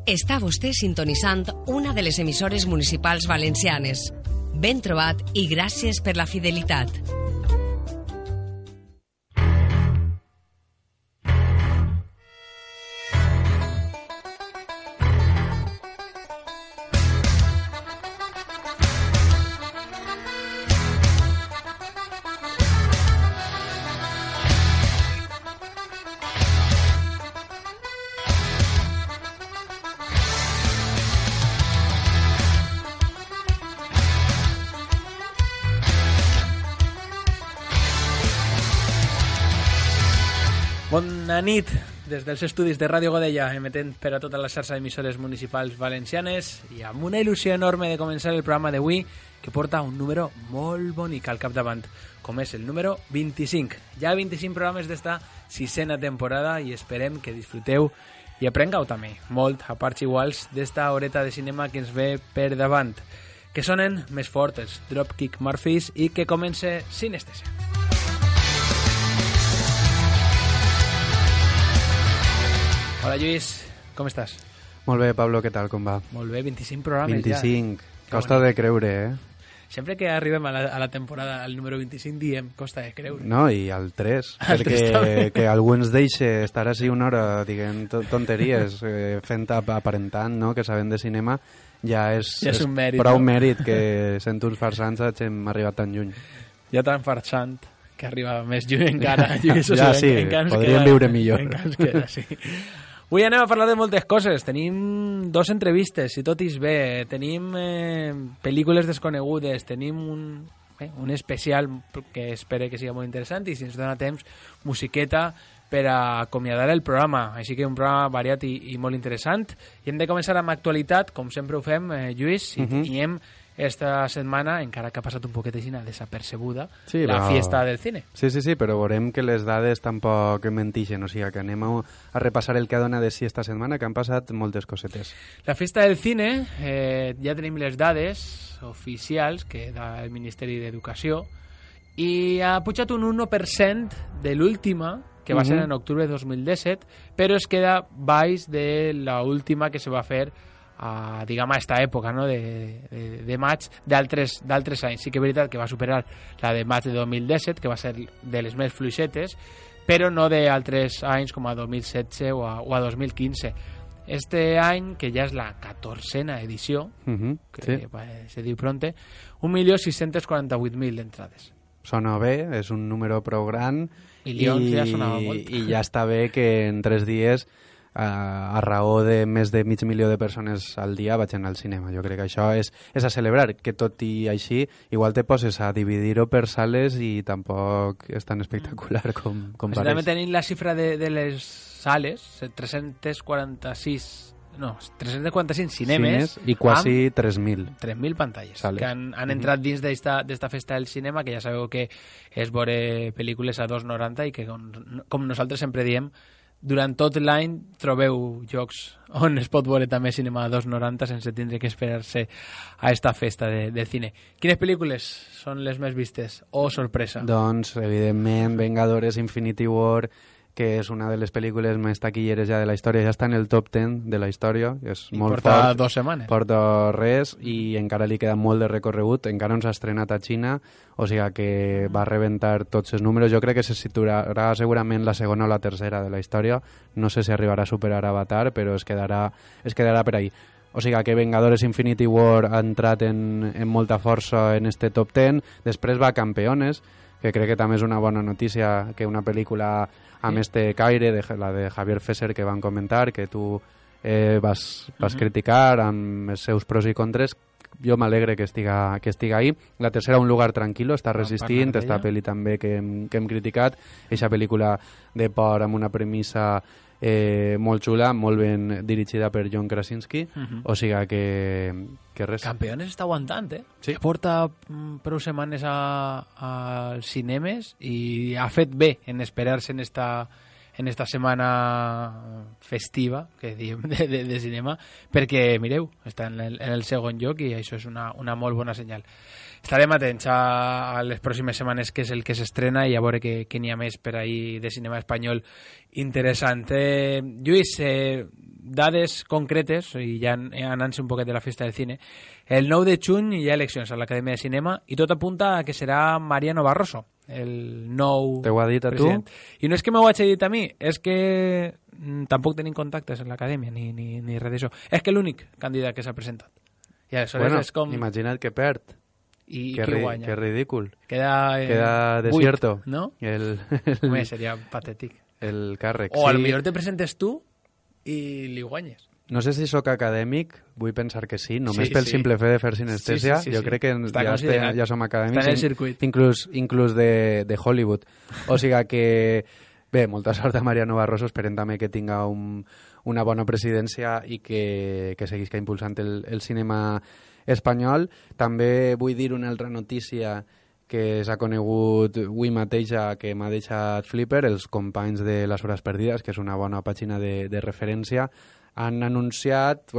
Està vostè sintonitzant una de les emissores municipals valencianes. Ben trobat i gràcies per la fidelitat. Bona nit des dels estudis de Ràdio Godella, emetent per a tota la xarxa d'emissores municipals valencianes i amb una il·lusió enorme de començar el programa d'avui, que porta un número molt bonic al capdavant, com és el número 25. Ja 25 programes d'esta sisena temporada i esperem que disfruteu i aprengueu també molt a parts iguals d'esta horeta de cinema que ens ve per davant. Que sonen més fort els Dropkick Murphys i que comence Sinestesia. Hola Lluís, com estàs? Molt bé, Pablo, què tal, com va? Molt bé, 25 programes 25, ja. Costa de creure, Sempre que arribem a la temporada, al número 25, diem costa de creure. No, i al 3, perquè que algú ens deixi estar així una hora dient tonteries, fent aparentant, no?, que sabem de cinema, ja és un mèrit, prou no? mèrit que sent uns farsants hem arribat tan lluny. Ja tan farsant que arriba més lluny encara. Ja sí, podríem viure millor. Encara ens queda, sí. Avui anem a parlar de moltes coses. Tenim 2 entrevistes, si tot és bé. Tenim pel·lícules desconegudes. Tenim un especial que espero que sigui molt interessant i, si ens dona temps, musiqueta per a acomiadar el programa. Així que un programa variat i molt interessant. I hem de començar amb actualitat, com sempre ho fem, Lluís, i tenim esta setmana, encara que ha passat un poquet així desapercebuda, sí, la fiesta del cine. Sí, però veurem que les dades tampoc mentixen, o sigui que anem a repassar el que ha donat de si esta setmana, que han passat moltes cosetes. La fiesta del cine, ja tenim les dades oficials que da el Ministeri d'Educació i ha pujat un 1% de l'última, que va ser en octubre de 2017, però es queda baix de l'última que se va fer a esta època, no? de maig d'altres anys. Sí que és veritat que va superar la de maig de 2017, que va ser de les més fluixetes, però no d'altres anys com a 2016 o a 2015. Este any, que ja és la 14a edició, que se diu pronte, 1.648.000 entrades. Sona bé, és un número prou gran i ja sonava molt. I ja està bé que en 3 dies a raó de més de 500.000 de persones al dia vaig anar al cinema. Jo crec que això és a celebrar, que tot i així igual te poses a dividir-ho per sales i tampoc és tan espectacular com pareix. També tenim la xifra de les sales, 345 cinemes i quasi 3.000 pantalles sales que han entrat dins d'esta festa del cinema, que ja sabeu que és veure pel·lícules a 2,90 i que, com nosaltres sempre diem, durant tot l'any trobeu llocs on es pot veure també cinema a 2,90 sense tindre que esperar-se a esta festa de cine. Quines pel·lícules són les més vistes? O sorpresa? Doncs, evidentment, Vengadores Infinity War, que és una de les pel·lícules més taquilleres ja de la història, ja està en el top 10 de la història, és molt porta fort. 2 setmanes. Porta res i encara li queda molt de recorregut, encara no s'ha estrenat a Xina, o sigui que va rebentar tots els números. Jo crec que se situarà segurament la segona o la tercera de la història, no sé si arribarà a superar Avatar, però es quedarà per ahí. O sigui que Vengadores Infinity War ha entrat en molta força en este top 10, després va Campeones, que crec que també és una bona notícia, que una pel·lícula amb este caire, la de Javier Fesser, que van comentar, que tu vas criticar amb els seus pros i contres. Jo m'alegre que estiga ahí. La tercera, Un lugar tranquilo, està resistint, esta pel·li també que hem criticat, eixa pel·lícula de por amb una premissa molt xula, molt ben dirigida per John Krasinski, o sigui que res. Campeones està aguantant, Sí. Porta prou setmanes als cinemes i ha fet bé en esperar-se en esta setmana festiva que diem de cinema, perquè, mireu, està en el segon lloc i això és una molt bona senyal. Estarem atents a les pròximes setmanes, que és el que s'estrena, i a veure què n'hi ha més per ahir de cinema espanyol interessant. Lluís, dades concretes, i ja anant-se un poquet de la festa del cine, el 9 de juny hi ha eleccions a l'Acadèmia de Cinema i tot apunta a que serà Mariano Barroso, el nou Te ho ha dit a president. tu? I no és que m'ho hagi dit a mi, és que tampoc tenim contactes en l'Acadèmia ni res d'això. És que l'únic candidat que s'ha presentat. I aleshores Bueno, és com... imagina't que perd. I Que qui guanya? que ridícul. Queda desierto. 8, no? El Home, seria patètic. càrrec. O potser te presentes tu i li guanyes. No sé si sóc acadèmic, vull pensar que sí, només Sí, pel sí. simple fe de fer sinestèsia. Sí. Jo crec que Està ja, considerat. ja som acadèmics. Està en el circuit. Inclús de Hollywood. O sigui que, bé, molta sort a Mariano Barroso, esperem també que tinga una bona presidència i que seguisca impulsant el cinema espanyol. També vull dir una altra notícia que s'ha conegut avui mateix, que m'ha deixat flipper, els companys de Les Hores Perdides, que és una bona pàgina de referència, han anunciat,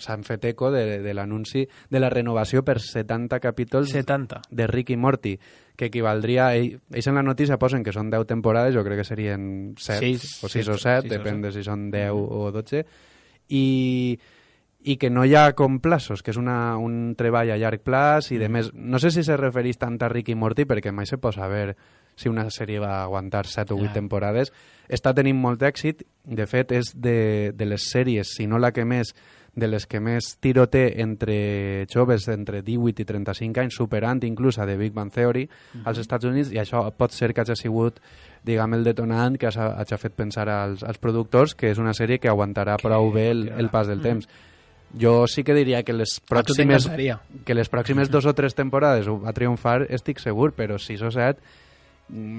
s'han fet eco de l'anunci de la renovació per 70 capítols 70. de Rick i Morty, que equivaldria... Ells en la notícia posen que són 10 temporades, jo crec que serien 7, o 6 o 7, depèn de si són 10 o 12, i que no hi ha com plaços, que és un treball a llarg plaç i de més. No sé si se refereix tant a Rick i Morty perquè mai se pot saber si una sèrie va aguantar 7 o 8 temporades. Està tenint molt èxit, de fet és de les sèries, si no la que més, de les que més tiro té entre joves entre 18 i 35 anys, superant inclús a The Big Bang Theory als Estats Units, i això pot ser que hagi sigut, diguem, el detonant que hagi fet pensar als productors que és una sèrie que aguantarà prou bé el pas del temps. Jo sí que diria que les pròximes 2 o 3 temporades va triomfar, estic segur, però 6 o 7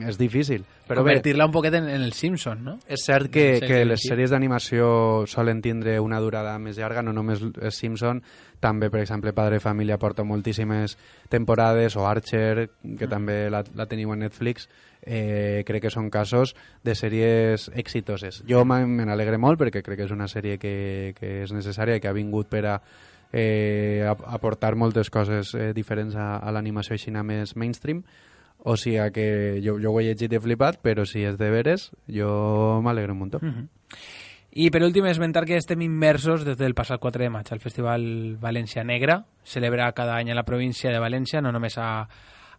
és difícil. Però convertir-la un poquet en el Simpson, no? És cert que les sèries d'animació solen tindre una durada més llarga, no només Simpson, també, per exemple, Padre Família porta moltíssimes temporades, o Archer, que també la teniu a Netflix. Crec que són casos de sèries exitoses. Jo me n'alegre molt perquè crec que és una sèrie que és necessària i que ha vingut per a aportar moltes coses diferents a l'animació així més mainstream. O sigui que jo ho he llegit i he flipat, però si és de veres, jo m'alegro un muntó. I per últim, esmentar que estem immersos des del passat 4 de maig al Festival València Negra, celebra cada any a la província de València, no només a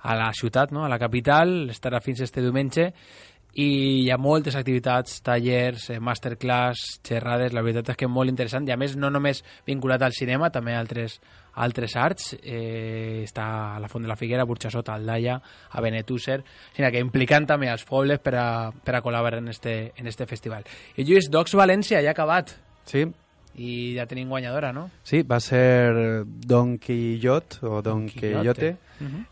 la ciutat, no? A la capital, estarà fins este diumenge, i hi ha moltes activitats, tallers, masterclass, xerrades, la veritat és que molt interessant, i a més no només vinculat al cinema, també a altres arts, està a la Font de la Figuera, a Burxassot, a Aldaia, a Benetússer, sinó que implicant també els pobles per a col·laborar en este festival. I Lluís, Docs València ja ha acabat. Sí. I ja tenim guanyadora, no? Sí, va ser Don Quixote, o Don Quixote,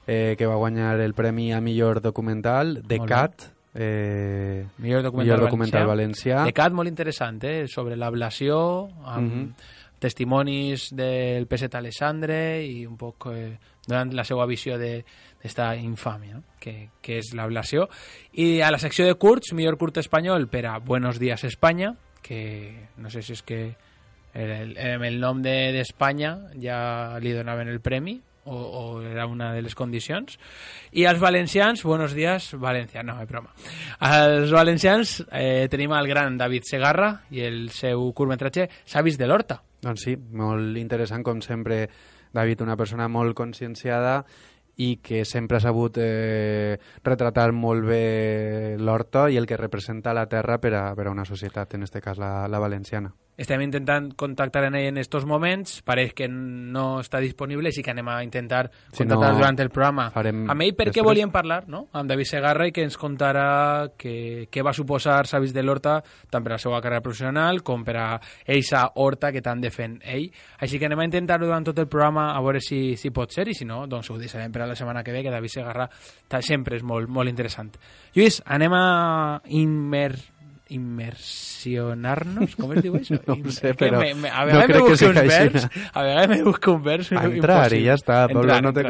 que va guanyar el premi a millor documental, The Cat, millor documental valencià. The Cat, molt interessant, sobre l'ablació, amb testimonis del Peset Alessandre i un poc donant la seva visió d'esta infàmia, no? que és l'ablació. I a la secció de curts, millor curt espanyol per a Buenos Días España, que no sé si és que el nom d'Espanya ja li donaven el premi o era una de les condicions. I als valencians, Buenos Días València, no, és broma. Als valencians tenim el gran David Segarra i el seu curtmetratge Savis de l'Horta. Doncs sí, molt interessant, com sempre, David, una persona molt conscienciada i que sempre ha sabut retratar molt bé l'horta i el que representa la terra per a una societat, en aquest cas la valenciana. Estem intentant contactar en ell en estos moments, pareix que no està disponible, així que anem a intentar contactar durant el programa amb ell perquè volíem parlar, no? Amb David Segarra, i que ens contarà què va suposar Savis de l'Horta tant per a la seva carrera professional com per a eixa horta que tant defèn ell. Així que anem a intentar-ho durant tot el programa a veure si pot ser, i si no, doncs ho deixarem per a la setmana que ve, que David Segarra sempre és molt, molt interessant. Lluís, anem a immersionar-nos, com es diu això? No ho sé, però a vegades me busco un vers entrar i ja està, Pablo, no te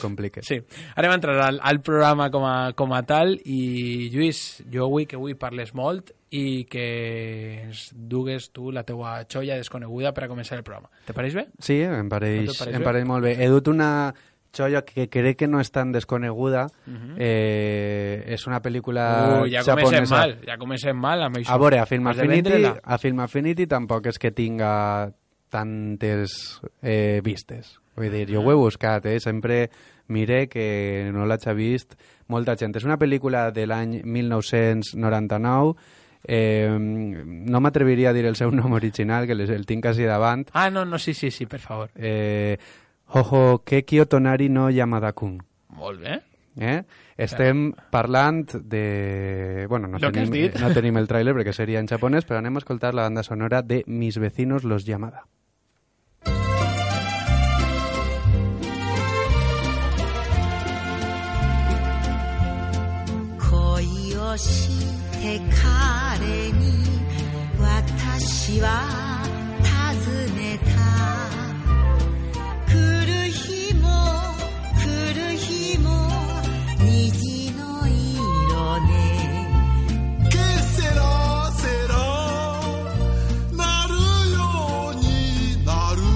compliques. Sí, anem a entrar al programa com a tal, i Lluís, jo vull que avui parles molt i que ens dugues tu la teua xoia desconeguda per a començar el programa. Te pareix bé? Sí, em pareix molt bé. He dut una Choyo, que crec que no és tan desconeguda. És una pel·lícula japonesa. Ja comencem mal amb això. A veure, a Film Affinity tampoc és que tinga tantes vistes. Vull dir, jo ho he buscat, sempre mire que no l'haig vist molta gent. És una pel·lícula de l'any 1999. No m'atreviria a dir el seu nom original, que el tinc quasi davant. No, sí, per favor. Hohokeki Otonari no Yamada-kun. Molt bé. Estem parlant de... Bueno, no tenim el tràiler perquè seria en japonès, però anem a escoltar la banda sonora de Mis vecinos los Yamada. Te kare ni watashi wa tazuneta kuru himo niji no iro ne que será naru yo ni naru.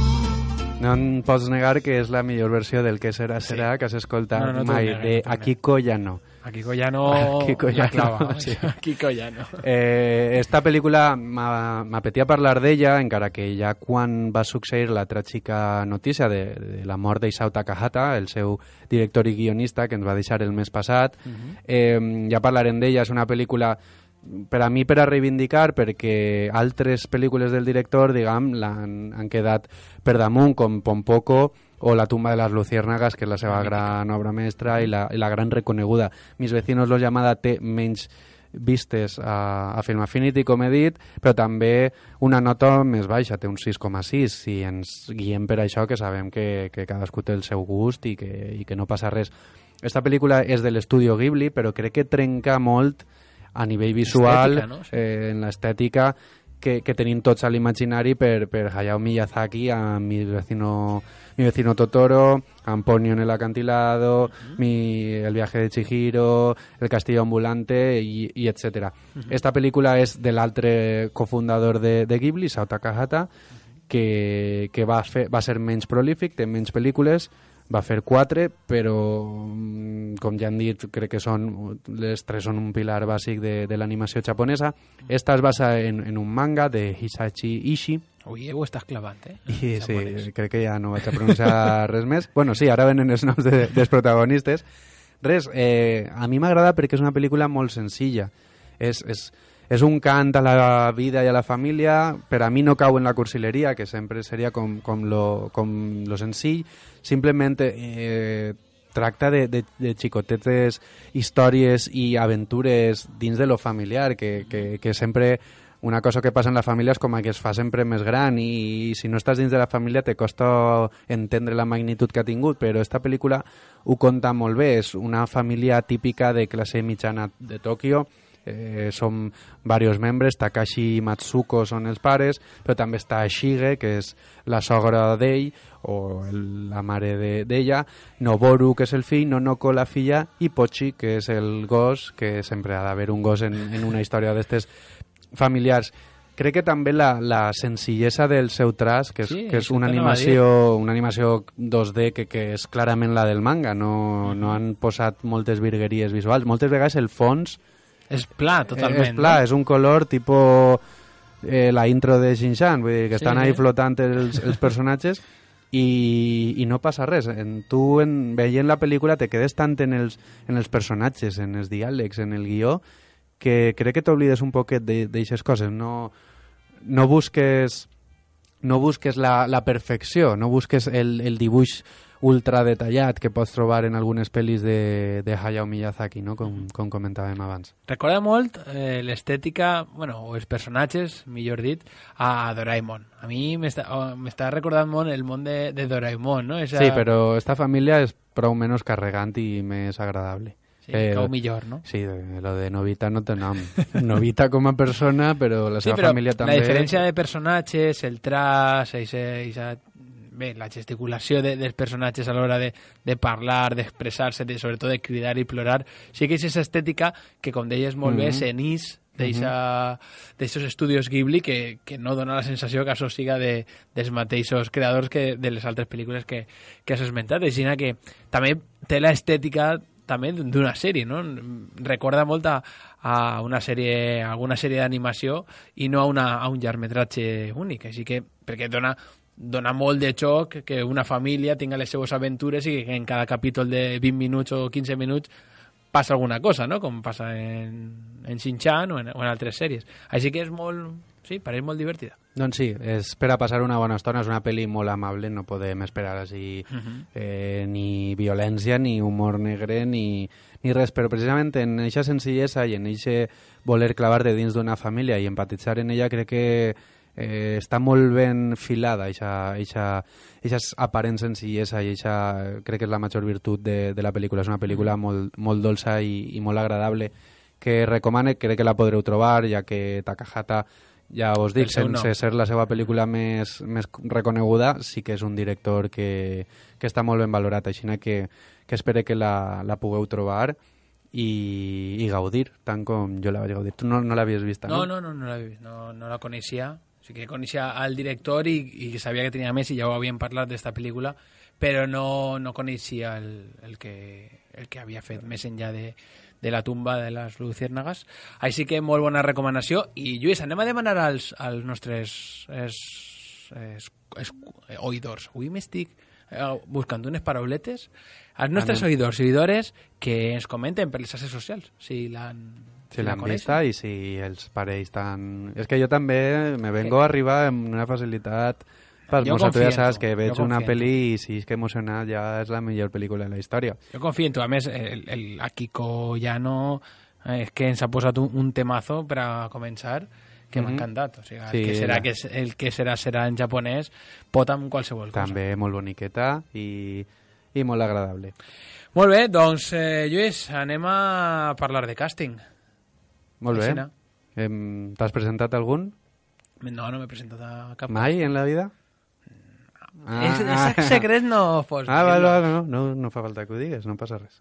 No em pots negar que és la millor versió del que serà que has escoltat mai, de Akiko Yano. Akiko Yano la clava. Sí. Akiko Yano. Esta pel·lícula m'apetia parlar d'ella, encara que ja quan va succeir la tràgica notícia de la mort d'Isao Takahata, el seu director i guionista, que ens va deixar el mes passat, ja parlarem d'ella. És una pel·lícula per a mi per a reivindicar, perquè altres pel·lícules del director, diguem, han quedat per damunt, com Pompoko o La tumba de las luciérnagas, que és la seva gran obra mestra i la gran reconeguda. Mis vecinos los Yamada té menys vistes a Film Affinity, com he dit, però també una nota més baixa, té un 6,6, si ens guiem per això, que sabem que cadascú té el seu gust i que no passa res. Esta pel·lícula és de l'estudio Ghibli, però crec que trenca molt a nivell visual, estètica, no? Sí. En l'estètica que tenim tots a l'imaginari per Hayao Miyazaki, a mi vecino Totoro, Amponio en el acantilado, El viaje de Chihiro, El castillo ambulante i etc. Esta pel·lícula és de l'altre cofundador de Ghibli, Isao Takahata, que va ser menys prolífic, té menys pel·lícules, va fer 4, però com ja han dit, crec que les 3 són un pilar bàsic de l'animació japonesa. Esta es basa en un manga de Hisashi Ishii. Ui, ho estàs clavant, I sí, crec que ja no vaig a pronunciar res més. Bueno, sí, ara venen els noms dels protagonistes. Res, a mi m'agrada perquè és una pel·lícula molt senzilla. És un cant a la vida i a la família. Per a mi no cau en la cursileria, que sempre seria com lo senzill. Simplement tracta de xicotetes històries i aventures dins de lo familiar, que sempre una cosa que passa en la família és com que es fa sempre més gran, i si no estàs dins de la família te costa entendre la magnitud que ha tingut, però esta pel·lícula ho conta molt bé. És una família típica de classe mitjana de Tòquio. Som diversos membres. Takashi i Matsuko són els pares, però també està Shige, que és la sogra d'ell o la mare d'ella, Noboru, que és el fill, Nonoko, la filla, i Pochi, que és el gos, que sempre ha d'haver un gos en una història d'estes familiars. Crec que també la senzillesa del seu traç, que és una animació 2D que és clarament la del manga, no han posat moltes virgueries visuals. Moltes vegades el fons és pla, totalment. És pla, és un color tipus la intro de Shin-chan, vull dir que estan ahí flotant els personatges i no passa res. Tu, veient la pel·lícula, te quedes tant en els personatges, en els diàlegs, en el guió, que crec que t'oblides un poquet d'aixes coses. No busques la perfecció, no busques el dibuix ultra detallat que pots trobar en algunes pel·lis de Hayao Miyazaki, no? com comentàvem abans. Recorda molt l'estètica, o els personatges, millor dit, a Doraemon. A mi m'està recordant molt el món de Doraemon, no? Sí, però esta família és prou menys carregant i més agradable. Sí, cau millor, no? Sí, lo de Novita no té nom. Novita com a persona, però la seva família també... La diferència de personatges, el traç, la gesticulació dels personatges a l'hora de parlar, d'expressar-se, sobretot de cridar i plorar, sí que és aquesta estètica que, com deies molt bé, s'enís d'eixos estudios Ghibli que no dona la sensació que això siga dels mateixos creadors que de les altres pel·lícules que has esmentat. Així que també té l'estètica també d'una sèrie, no? Recorda molt a alguna sèrie d'animació i no a un llargmetratge únic, així que perquè dona molt de xoc que una família tinga les seues aventures i que en cada capítol de 20 minuts o 15 minuts passa alguna cosa, no? Com passa en Shin-Chan o en altres sèries. Així que és pareix molt divertida. Doncs sí, és per a passar una bona estona, és una pel·li molt amable, no podem esperar així ni violència, ni humor negre, ni res, però precisament en aquesta senzillesa i en aquest voler clavar-te dins d'una família i empatitzar en ella crec que està molt ben filada aquestes aparents senzillesa i crec que és la major virtut de la pel·lícula. És una pel·lícula molt dolça i molt agradable que recomane, crec que la podreu trobar, ja que Takahata, ja us dic, sense ser la seva pel·lícula més reconeguda, sí que és un director que està molt ben valorat, així que espero que la pugueu trobar i gaudir, tant com jo la vaig gaudir. Tu no l'havies vist, no? No l'havia vist, no la coneixia. O sigui que coneixia al director i sabia que tenia més i ja ho havíem parlat d'esta pel·lícula, però no coneixia el que havia fet més enllà de la tumba de les luciérnagas. Així que molt bona recomanació. I Lluís, anem a demanar als nostres oïdors. Avui m'estic buscant unes parauletes. Als nostres oïdors i oïdores que ens comenten per les xarxes socials si l'han vista i si els pareix tant... És que jo també me vengo a arribar amb una facilitat per mostrar. Tu ja saps que veig una pel·li i si és que emocionat ja és la millor pel·lícula de la història. Jo confio en tu. A més, el Akiko Yano és que ens ha posat un temazo per a començar que m'ha encantat. O sigui, el que serà en japonès pot amb qualsevol cosa. També molt boniqueta i molt agradable. Molt bé, doncs, Lluís, anem a parlar de càsting. Molt bé. T'has presentat algun? No m'he presentat a cap. Mai en la vida? És secret, no fos. No fa falta que ho digues, no passa res.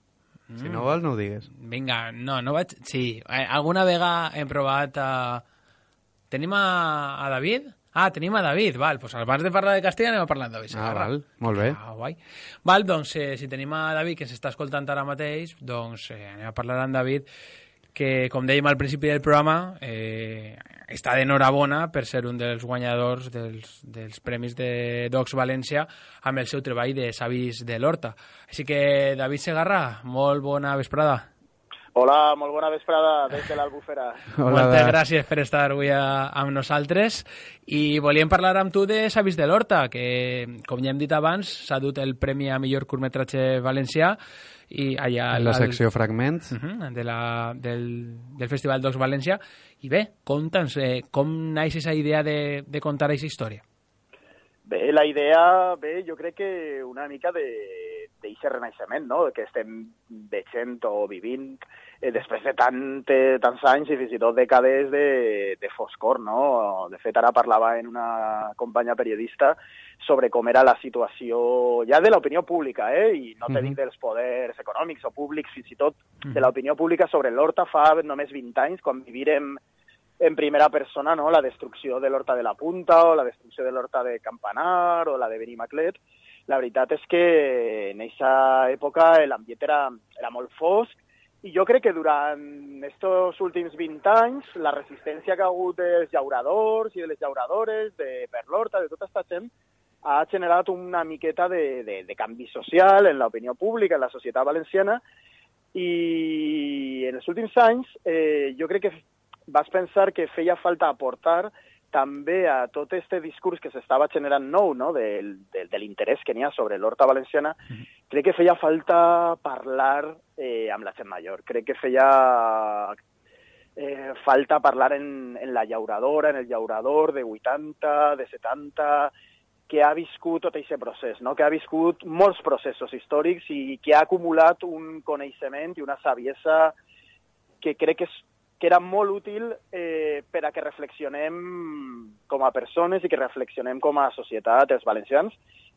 Si no vols, no ho digues. Vinga, no vaig... Sí, alguna vegada hem provat a... Tenim a David? Tenim a David, val. Pues abans de parlar de Castilla anem a parlar de David Segarra. Val, molt bé. Guai. Val, doncs, si tenim a David, que s'està escoltant ara mateix, doncs anem a parlar amb David, que, com dèiem al principi del programa, està d'enhorabona per ser un dels guanyadors dels Premis de Docs València amb el seu treball de Savis de l'Horta. Així que, David Segarra, molt bona vesprada. Hola, molt bona vesprada des de l'Albufera. Moltes gràcies per estar avui amb nosaltres i volíem parlar amb tu de Savis de l'Horta, que, com ja hem dit abans, s'ha dut el Premi a millor curtmetratge valencià i allà en la secció Fragments del Festival Docs València. I bé, conta'ns, com naix aquesta idea de contar aquesta història? Bé, la idea, jo crec que una mica d'aquest renaixement, no?, que estem veient o vivint després de tants anys i fins i tot dècades de foscor, no? De fet, ara parlava en una companya periodista sobre com era la situació ja de l'opinió pública, i no te dic dels poders econòmics o públics, fins i tot de l'opinió pública sobre l'Horta fa només 20 anys, quan vivirem en primera persona, no?, la destrucció de l'Horta de la Punta o la destrucció de l'Horta de Campanar o la de Benimaclet. La veritat és que en aquesta època l'ambient era molt fosc i jo crec que durant aquests últims 20 anys la resistència que ha hagut dels llauradors i de les llauradores per l'Horta, de tota aquesta gent, ha generat una miqueta de canvi social en l'opinió pública, en la societat valenciana, i en els últims anys jo crec que vas pensar que feia falta aportar també a tot aquest discurs que s'estava generant nou, no?, de l'interès que n'hi ha sobre l'Horta valenciana. Crec que feia falta parlar amb la gent major. Crec que feia falta parlar en la llauradora, en el llaurador de 80, de 70, que ha viscut tot aquest procés, no?, que ha viscut molts processos històrics i que ha acumulat un coneixement i una saviesa que crec que era molt útil per a que reflexionem com a persones i que reflexionem com a societat, els valencians,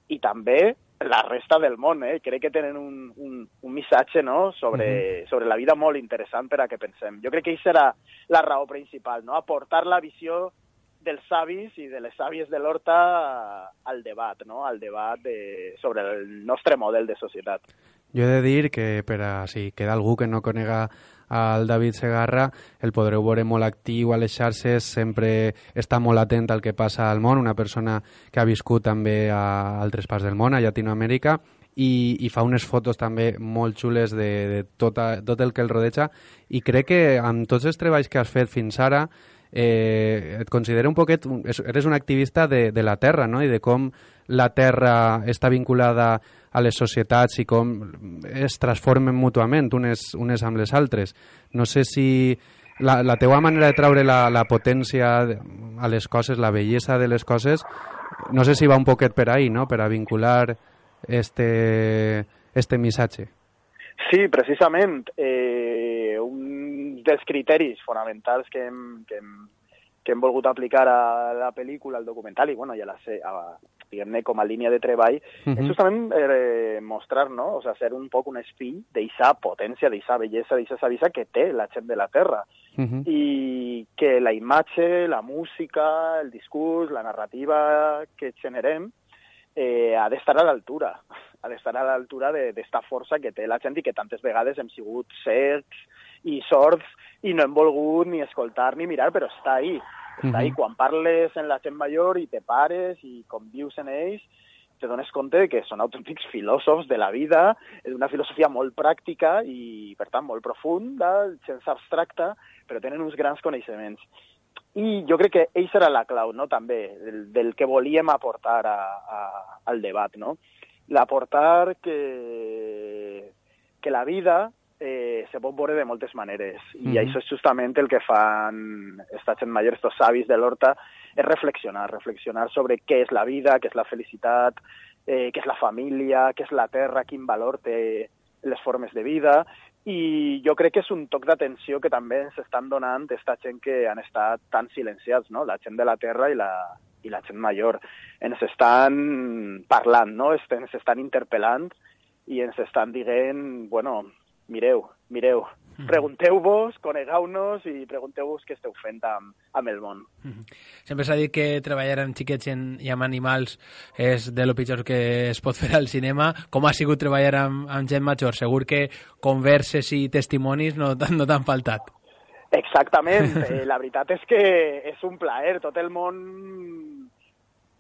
i també la resta del món. Crec que tenen un missatge, no?, sobre la vida molt interessant per a que pensem. Jo crec que això serà la raó principal, no?, aportar la visió dels savis i de les sàvies de l'Horta al debat, no?, al debat sobre el nostre model de societat. Jo he de dir que per a si queda algú que no conega al David Segarra, el podreu veure molt actiu a les xarxes, sempre està molt atent al que passa al món, una persona que ha viscut també a altres parts del món, a Llatinoamèrica, i fa unes fotos també molt xules de tot el que el rodeja, i crec que amb tots els treballs que has fet fins ara et considero un poquet, eres un activista de la terra, no?, i de com la terra està vinculada a les societats i com es transformen mútuament unes amb les altres. No sé si la teua manera de traure la potència a les coses, la bellesa de les coses, no sé si va un poquet per ahí, no?, per a vincular este missatge. Sí, precisament. Un dels criteris fonamentals que hem volgut aplicar a la pel·lícula, al documental, i bueno, ja diguem-ne com a línia de treball, és justament mostrar, no?, o sea, ser un poc un espill d'eixa potència, d'eixa bellesa, d'eixa saviesa que té la gent de la Terra. I que la imatge, la música, el discurs, la narrativa que generem ha d'estar a l'altura. Ha d'estar a l'altura d'esta força que té la gent i que tantes vegades hem sigut cecs i sords i no hem volgut ni escoltar ni mirar, però està ahí. Està ahí. Quan parles amb la gent major i te pares i convius en ells, te dones compte que són autèntics filòsofs de la vida, d'una filosofia molt pràctica i, per tant, molt profunda, sense abstracta, però tenen uns grans coneixements. I jo crec que això era la clau, no?, també, del que volíem aportar al debat, no? L'aportar que la vida se pot veure de moltes maneres, i això és justament el que fan esta gent major, estos savis de l'Horta, és reflexionar sobre què és la vida, què és la felicitat, què és la família, què és la terra, quin valor té les formes de vida, i jo crec que és un toc d'atenció que també ens estan donant aquesta gent que han estat tan silenciats, no?, la gent de la terra i la gent major. Ens estan parlant, no?, ens estan interpel·lant i ens estan dient, bueno, mireu, pregunteu-vos, conegueu-nos i pregunteu-vos què esteu fent amb el món. Sempre s'ha dit que treballar amb xiquets i amb animals és de lo pitjor que es pot fer al cinema. Com ha sigut treballar amb gent major? Segur que converses i testimonis no t'han faltat. Exactament. La veritat és que és un plaer. Tot el món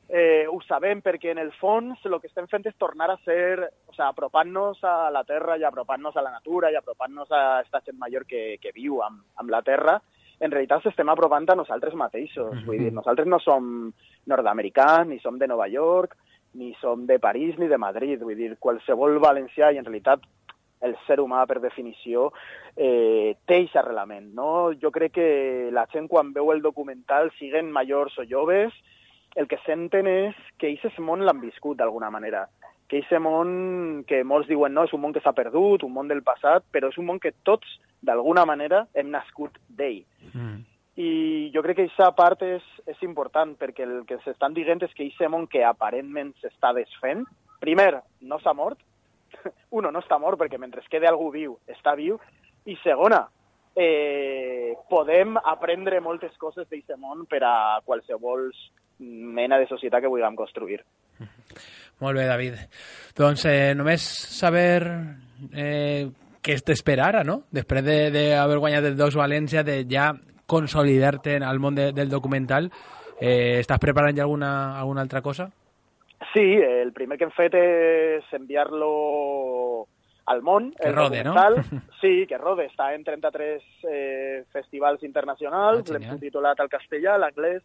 ho sabem, perquè en el fons el que estem fent és tornar a ser, o sea, apropant-nos a la terra i apropant-nos a la natura i apropant-nos a aquesta gent major que viu amb la terra. En realitat estem apropant a nosaltres mateixos. Vull dir, nosaltres no som nord-americans, ni som de Nova York, ni som de París, ni de Madrid. Vull dir, qualsevol valencià, i en realitat el ser humà, per definició, té aquest arrelament, no? Jo crec que la gent, quan veu el documental, siguen majors o joves, el que senten és que aquest món l'han viscut d'alguna manera, que aquest món que molts diuen no, és un món que s'ha perdut, un món del passat, però és un món que tots, d'alguna manera, hem nascut d'ell. I jo crec que aquesta part és important, perquè el que s'estan dient és que aquest món que aparentment s'està desfent, primer, no s'ha mort, no està mort perquè mentre quede algú viu, està viu, i segona, podem aprendre moltes coses d'aquest món per a qualsevol mena de societat que vulguem construir. Molt bé, David. Doncs només saber què t'espera ara, no? Després d'haver guanyat el Docs València, de ja consolidar-te al món del documental, estàs preparant ja alguna altra cosa? Sí, el primer que hem fet és enviar-lo al món. Que rode, no? Sí, que rode. Està en 33 festivals internacionals, l'hem subtitulat al castellà, a l'anglès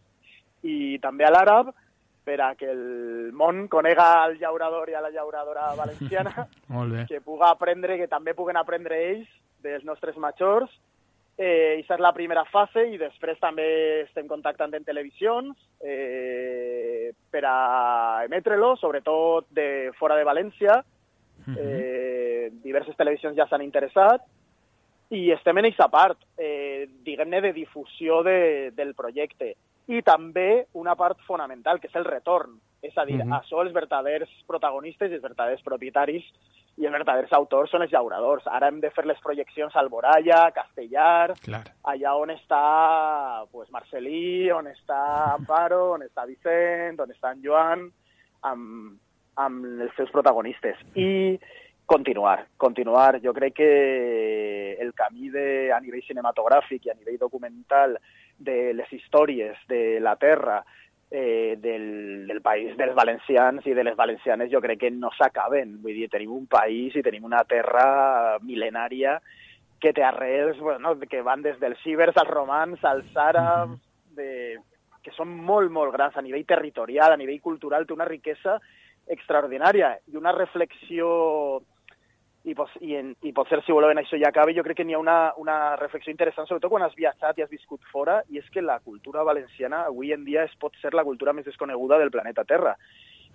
i també a l'àrab, per a que el món conega el llaurador i a la llauradora valenciana, que puga aprendre, que també puguen aprendre ells dels nostres majors. Aquesta és la primera fase, i després també estem contactant en televisions per a emetre-lo, sobretot de fora de València. Diverses televisions ja s'han interessat i estem en aquesta part, diguem-ne, de difusió del projecte. i també una part fonamental, que és el retorn. És a dir, això els verdaders protagonistes i els verdaders propietaris i els verdaders autors són els llauradors. Ara hem de fer les projeccions a Alboraya, Castellar, allà on està pues, Marcelí, on està Amparo, on està Vicent, on està en Joan, amb els seus protagonistes. I continuar. Jo crec que el camí a nivell cinematogràfic i a nivell documental de les històries de la terra, del país dels valencians i de les valencianes, jo crec que no s'acaben. Vull dir, tenim un país i tenim una terra mil·lenària que té arrels, bueno, que van des dels cibers als romans, als àrabs, que són molt, molt grans a nivell territorial, a nivell cultural, té una riquesa extraordinària i una reflexió, i potser si voleu en això ja acabi, jo crec que n'hi ha una reflexió interessant, sobretot quan has viatjat i has viscut fora, i és que la cultura valenciana avui en dia pot ser la cultura més desconeguda del planeta Terra.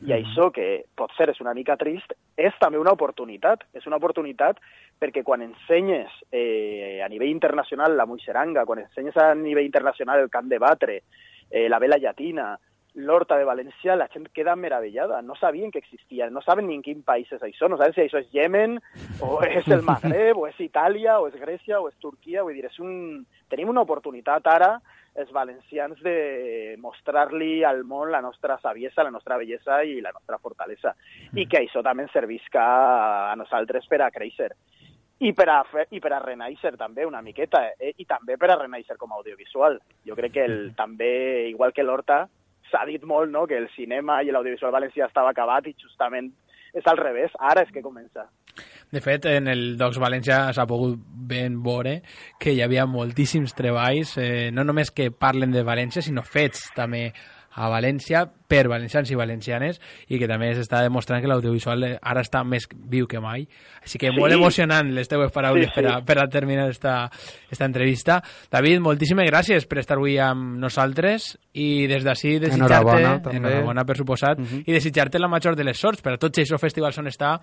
I això, que potser és una mica trist, és també una oportunitat. És una oportunitat perquè quan ensenyes a nivell internacional la Muixeranga, quan ensenyes a nivell internacional el Camp de Batre, la Vela Llatina, l'Horta de València, la gent queda meravellada. No sabien que existia, no saben ni en quin país és això, no saben si això és Yemen, o és el Magreb, o és Itàlia, o és Grècia, o és Turquia. Vull dir, tenim una oportunitat ara, els valencians, de mostrar-li al món la nostra saviesa, la nostra bellesa i la nostra fortalesa. I que això també ens servisca a nosaltres per a créixer. I per a renaixer també una miqueta, i també per a renaixer com a audiovisual. Jo crec que també, igual que l'Horta, s'ha dit molt, no?, que el cinema i l'audiovisual valencià estava acabat i justament és al revés, ara és que comença. De fet, en el Docs València s'ha pogut ben veure que hi havia moltíssims treballs, no només que parlen de València, sinó fets també a València per valencians i valencianes, i que també s'està demostrant que l'audiovisual ara està més viu que mai. Així que molt emocionant les teves paraules per a terminar esta entrevista. David, moltíssimes gràcies per estar avui amb nosaltres i des d'ací desitjar-te, enhorabona per suposat, i desitjar-te la major de les sorts per a tots aquests festivals on està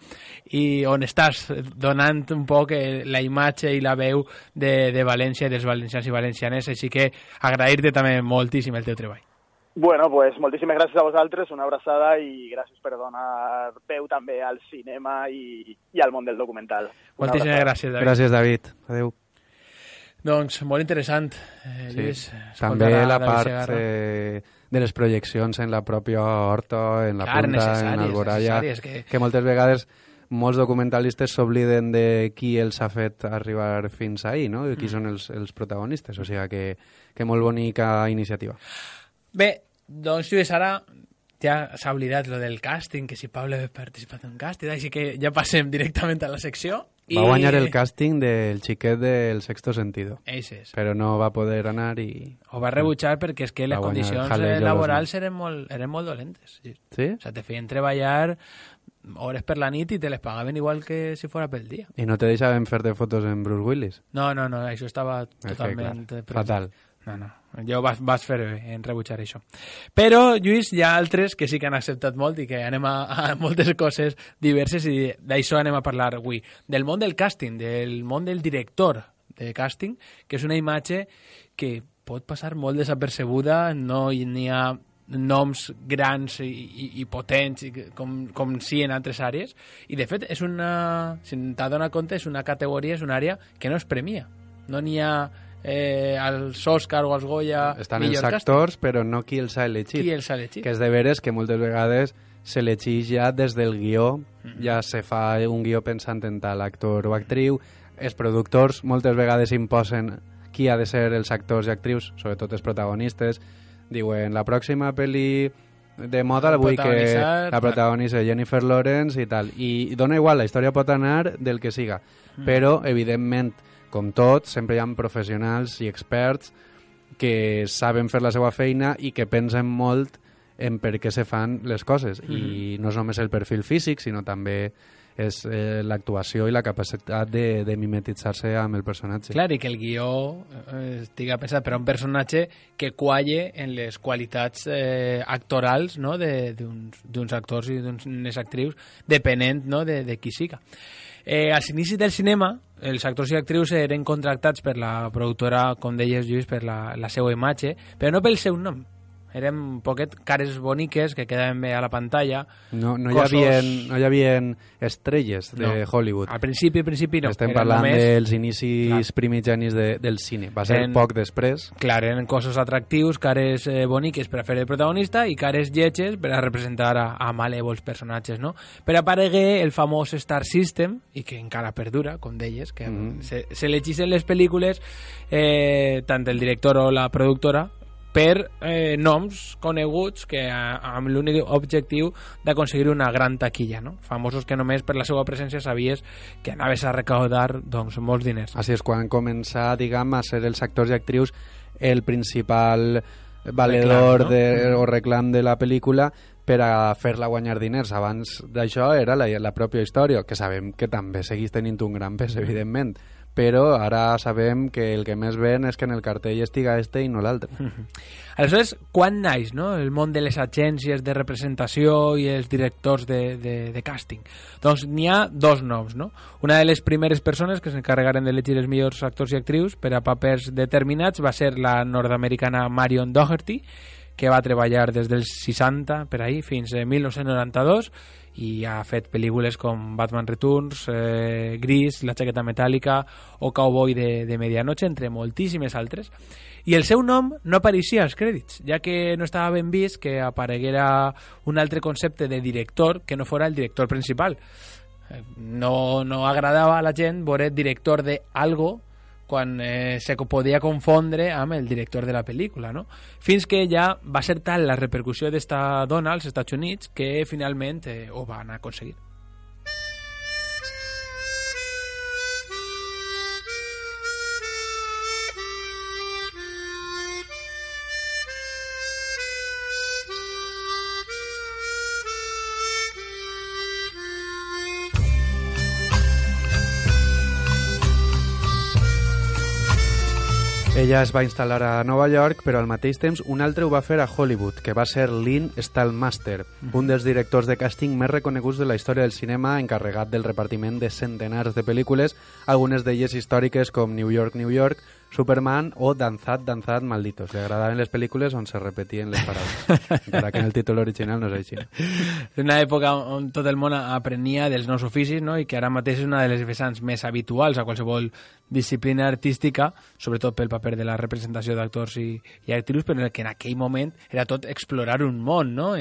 i on estàs donant un poc la imatge i la veu de València i dels valencians i valencianes, així que agrair-te també moltíssim el teu treball. Bueno, pues moltíssimes gràcies a vosaltres, una abraçada i gràcies per donar veu també al cinema i al món del documental. Moltíssimes gràcies, David. Gràcies, David. Adéu. Doncs molt interessant, Lluís. També la part de les projeccions en la pròpia Horta, en la Punta, en Alboraya, que moltes vegades molts documentalistes s'obliden de qui els ha fet arribar fins ahí, no? I qui són els protagonistes. O sigui que molt bonica iniciativa. Bé, doncs Lluís, ara ja s'ha oblidat lo del càsting, que si Pablo ha participat en un càsting, així que ja passem directament a la secció. Va guanyar el càsting del xiquet del Sexto Sentido. Eixes. Però no va poder anar i... Ho va rebutjar perquè és que les condicions laborals eren molt dolentes. Sí? O sea, te feien treballar hores per la nit i te les pagaven igual que si fora pel dia. I no te deixaven fer-te fotos en Bruce Willis? No, això estava totalment... Fatal. No. Jo vas fer bé en rebutjar això. Però, Lluís, hi ha altres que sí que han acceptat molt i que anem a moltes coses diverses i d'això anem a parlar avui. Del món del càsting, del món del director de càsting, que és una imatge que pot passar molt desapercebuda, no hi ha noms grans i potents com sí en altres àrees, i de fet és una, si t'ha donat compte, és una categoria, és una àrea que no es premia. No n'hi ha als Òscar o als Goya estan els actors, però no qui els ha elegit. Que és de veres que moltes vegades s'elegeix ja des del guió, ja se fa un guió pensant en tal actor o actriu. Els productors moltes vegades imposen qui ha de ser els actors i actrius, sobretot els protagonistes. Diuen, la pròxima pel·li de moda vull que la protagonista Jennifer Lawrence i tal. I dona igual, la història pot anar del que siga. Però, evidentment, com tot, sempre hi ha professionals i experts que saben fer la seva feina i que pensen molt en per què se fan les coses. I no és només el perfil físic, sinó també és l'actuació i la capacitat de mimetitzar-se amb el personatge. Clar, i que el guió estiga pensat per a un personatge que qualle en les qualitats actorals, no?, d'uns actors i d'unes actrius, depenent, no?, de qui siga. Als inicis del cinema, els actors i actrius eren contractats per la productora, com deies, Lluís, per la seva imatge, però no pel seu nom. Eren un poquet cares boniques que quedaven bé a la pantalla. No hi havia estrelles de Hollywood. Al principi no. Estem parlant dels inicis primigenis del cine. Va ser poc després. Clar, eren cossos atractius, cares boniques per a fer el protagonista i cares lletges per a representar a malèvols personatges, no? Per aparegué el famós Star System, i que encara perdura, com deies, que se legissin les pel·lícules, tant el director o la productora, per noms coneguts que amb l'únic objectiu d'aconseguir una gran taquilla, no? Famosos que només per la seva presència sabies que anaves a recaudar doncs, molts diners. Així és quan començar, diguem, a ser els actors i actrius el principal valedor o reclam de la pel·lícula per a fer-la guanyar diners. Abans d'això era la pròpia història, que sabem que també segueix tenint un gran pes, evidentment, però ara sabem que el que més ven és que en el cartell estiga este i no l'altre. Aleshores, quan naix, no?, el món de les agències de representació i els directors de càsting? Doncs n'hi ha dos noms, no? Una de les primeres persones que s'encarregaren d'elegir els millors actors i actrius per a papers determinats va ser la nord-americana Marion Doherty, que va treballar des dels 60 per ahí fins a 1992 i ha fet pel·lícules com Batman Returns, Gris, La jaqueta metàl·lica o Cowboy de Medianoche, entre moltíssimes altres. I el seu nom no apareixia als crèdits, ja que no estava ben vist que apareguera un altre concepte de director que no fora el director principal. No agradava a la gent veure director de algo quan se podia confondre amb el director de la pel·lícula, no? Fins que ja va ser tal la repercussió d'esta dona als Estats Units que finalment ho van aconseguir. Ella es va instal·lar a Nova York, però al mateix temps un altre ho va fer a Hollywood, que va ser Lynn Stalmaster, un dels directors de càsting més reconeguts de la història del cinema, encarregat del repartiment de centenars de pel·lícules, algunes d'elles històriques com New York, New York, Superman o Danzad, Danzad, Malditos. Li agradaven les pel·lícules on se repetien les paraules, encara que en el títol original no és així. És una època on tot el món aprenia dels nous oficis, no? I que ara mateix és una de les vessants més habituals a qualsevol disciplina artística, sobretot pel paper de la representació d'actors i actrius, però que en aquell moment era tot explorar un món, no?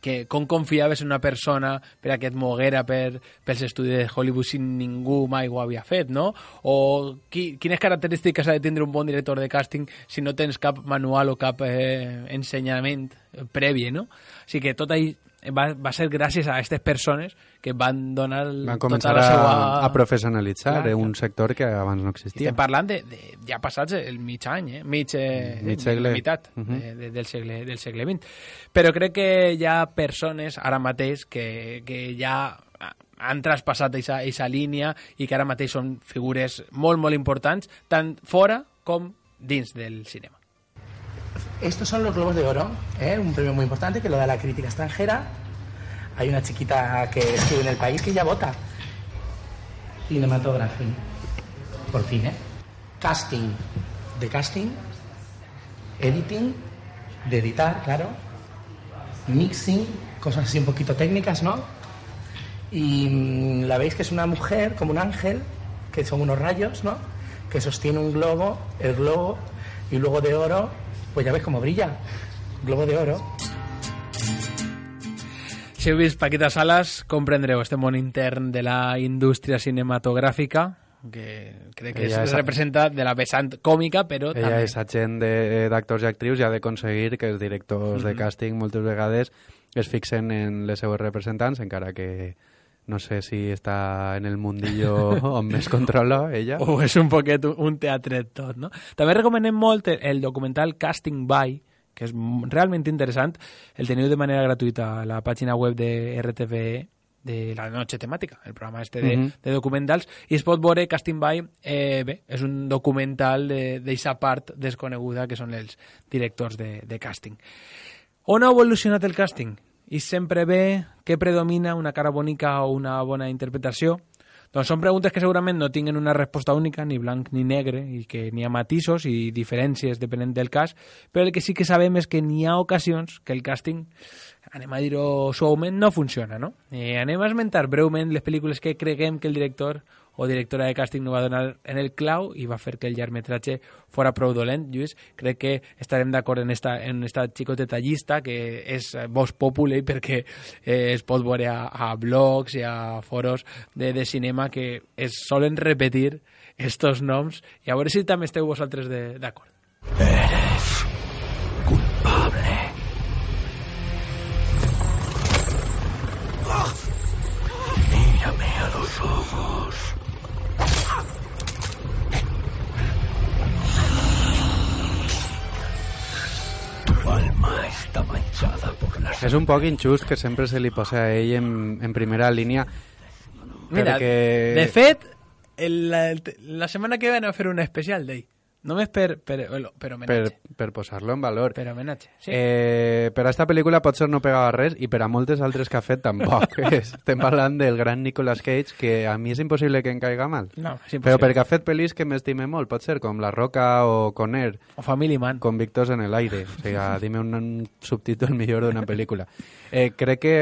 Que com confiaves en una persona per a que et moguera pels estudis de Hollywood si ningú mai ho havia fet, no? O quines característiques ha de tindre un bon director de càsting si no tens cap manual o cap ensenyament previ, no? O sigui que tot ahí va ser gràcies a aquestes persones que van donar van començar tota la seva... a professionalitzar un sector que abans no existia. Estem parlant de ja passats el mig any, mig segle, meitat del segle XX. Però crec que hi ha persones ara mateix que ja han traspassat aquesta línia i que ara mateix són figures molt, molt importants, tant fora com dins del cinema. Estos son los Globos de Oro, un premio muy importante que lo da la crítica extranjera. Hay una chiquita que escribe en El País que ya vota. Cinematography, por fin, Casting, de casting. Editing, de editar, claro. Mixing, cosas así un poquito técnicas, ¿no? Y la veis que es una mujer, como un ángel, que son unos rayos, ¿no? Que sostiene un globo, el globo, y luego de oro. Pues ja veus com brilla, Globo de Oro. Si heu vist Paquita Salas, comprendreu este món intern de la indústria cinematogràfica, que crec que es representa de la vessant còmica, però ella també... és agent d'actors i actrius i ha d'aconseguir que els directors de càsting moltes vegades es fixen en les seues representants, encara que no sé si està en el mundillo on més controla ella. O és un poquet un teatret tot, no? També recomanem molt el documental Casting By, que és realment interessant. El teniu de manera gratuïta a la pàgina web de RTVE, de La Noche Temàtica, el programa este de documentals, i es pot veure Casting By, és un documental d'eixa part desconeguda que són els directors de càsting. On ha evolucionat el càsting? I sempre ve que predomina una cara bonica o una bona interpretació? Doncs són preguntes que segurament no tinguen una resposta única, ni blanc ni negre, i que n'hi ha matisos i diferències depenent del cas, però el que sí que sabem és que n'hi ha ocasions que el càsting, anem a dir-ho suaument, no funciona, no? Anem a esmentar breument les pel·lícules que creguem que el director o directora de càsting no va donar en el clau i va fer que el llargmetratge fora prou dolent. Lluís, crec que estarem d'acord en esta xicoteta llista que és vox populi perquè es pot veure a blogs i a foros de cinema que es solen repetir estos noms i a veure si també esteu vosaltres d'acord. Eres culpable. Mírame a los ojos. Tu alma está manchada por las... És un poc injust que sempre se li posa a ell en primera línia. Mira, perquè... de fet, la setmana que ve anem a fer un especial d'ell. Només per homenatge. Per posar-lo en valor. Per homenatge, sí. Per a esta pel·lícula potser no pegava res i per a moltes altres que ha fet tampoc. Estem parlant del gran Nicolas Cage, que a mi és impossible que em caiga mal. No, és impossible. Però perquè ha fet pel·lis que m'estime molt, pot ser com La Roca o Conner. O Family Man. Convictos en el aire. O sigui, dime un subtítol millor d'una pel·lícula. Crec que